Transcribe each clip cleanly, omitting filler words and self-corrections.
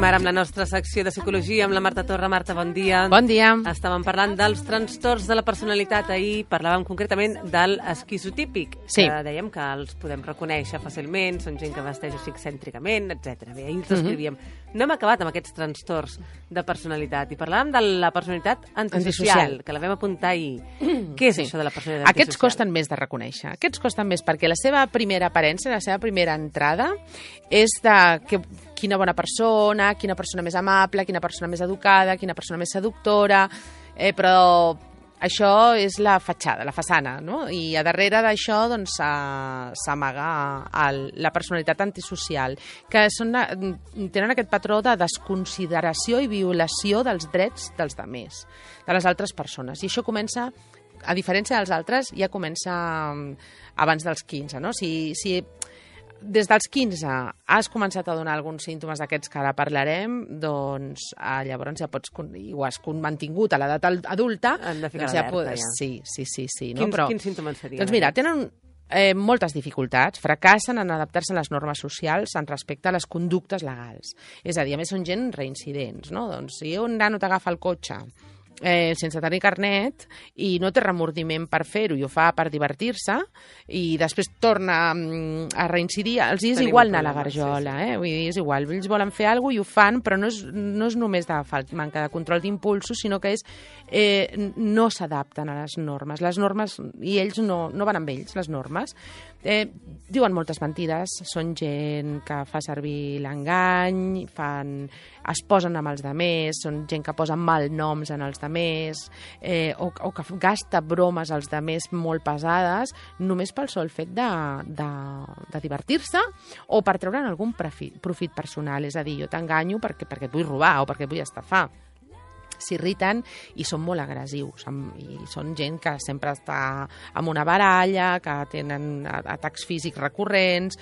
Continuem ara amb la nostra secció de psicologia amb la Marta Torra. Marta, bon dia. Bon dia. Estàvem parlant dels trastorns de la personalitat. Ahir parlàvem concretament del esquizotípic, Sí. que dèiem que els podem reconèixer fàcilment, són gent que vesteix així excèntricament, etc. Bé, ahir els descrivíem. No hem acabat amb aquests trastorns de personalitat i parlàvem de la personalitat antisocial, que la vam apuntar ahir. Què és això de la personalitat antisocial? Aquests costen més de reconèixer. Aquests costen més perquè la seva primera aparença, la seva primera entrada, és de quina bona persona, quina persona més amable, quina persona més educada, quina persona més seductora, però això és la fatxada, la façana, no? I a darrere d'això doncs, s'amaga la personalitat antisocial, que tenen aquest patró de desconsideració i violació dels drets dels altres, de les altres persones. I això comença, a diferència dels altres, ja comença abans dels 15, no? Si des dels 15 has començat a donar alguns símptomes d'aquests que ara parlarem, doncs llavors ja pots, i ho has mantingut a l'edat adulta, hem de ficar doncs l'alerta, ja. Sí. No? Quins símptomes serien? Doncs mira, tenen moltes dificultats, fracassen en adaptar-se a les normes socials en respecte a les conductes legals. És a dir, a més són gent reincidents, no? Doncs si un nano t'agafa el cotxe sense tenir carnet i no té remordiment per fer-ho i ho fa per divertir-se i després torna a reincidir, els és igual anar a la garjola, Vull dir, és igual, ells volen fer alguna cosa i ho fan, però no és només de manca de control d'impulsos, sinó que no s'adapten a les normes, i ells no van amb ells, les normes. Diuen moltes mentides, són gent que fa servir l'engany, es posen amb els altres, són gent que posa malnoms en els altres, o que gasta bromes als altres molt pesades, només pel sol fet de divertir-se o per treure'n algun profit personal. És a dir, jo t'enganyo perquè et vull robar o perquè et vull estafar. S'irriten i són molt agressius, i són gent que sempre està amb una baralla, que tenen atacs físics recurrents,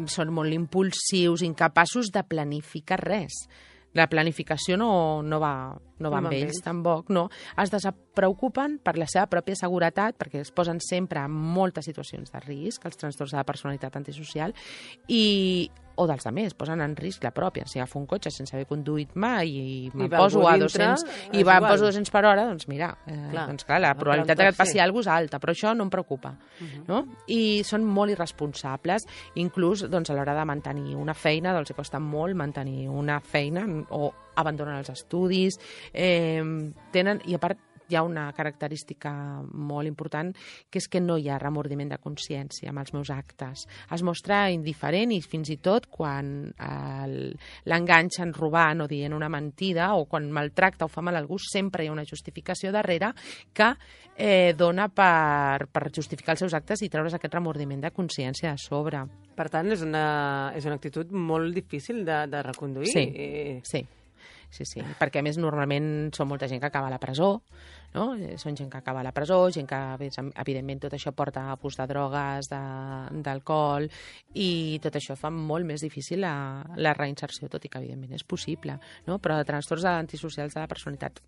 són molt impulsius, incapaços de planificar res. La planificació no va amb ells, tampoc, no. Es despreocupen per la seva pròpia seguretat, perquè es posen sempre en moltes situacions de risc, els trastorns de la personalitat antisocial, o dels altres, posen en risc la pròpia. Si agafo un cotxe sense haver conduït mai i em poso a 200 i em poso 200 per hora, doncs mira, la probabilitat que et passi alguna cosa és alta, però això no em preocupa. No? I són molt irresponsables, inclús doncs, a l'hora de mantenir una feina, els costa molt mantenir una feina, o abandonen els estudis, i a part hi ha una característica molt important, que és que no hi ha remordiment de consciència amb els meus actes. Es mostra indiferent i fins i tot quan l'enganxen robant o dient una mentida o quan maltracta o fa mal a algú, sempre hi ha una justificació darrere que dona per justificar els seus actes i treure's aquest remordiment de consciència de sobre. Per tant, és una actitud molt difícil de reconduir. Sí, perquè a més normalment són molta gent que acaba a la presó, no? Són gent que acaba a la presó, gent que evidentment tot això porta abús de drogues, d'alcohol, i tot això fa molt més difícil la reinserció, tot i que evidentment és possible, no? Però de trastorns antisocials de la personalitat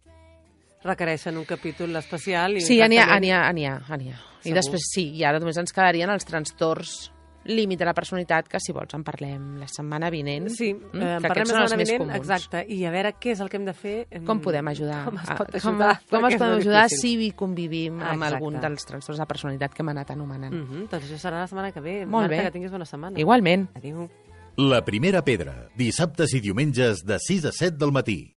requereixen un capítol especial. Sí, n'hi ha. I després i ara només ens quedarien els trastorns límit de la personalitat, que si vols en parlem la setmana vinent. Sí, en parlem la setmana vinent, exacte. I a veure què és el que hem de fer. Com podem ajudar? Com es pot ajudar? Com es podem ajudar si convivim amb algun dels trastorns de personalitat que hem anat anomenant. Doncs això serà la setmana que ve. Molt bé. Marta, que tinguis bona setmana. Igualment. Adéu. La primera pedra, dissabtes i diumenges de 6 a 7 del matí.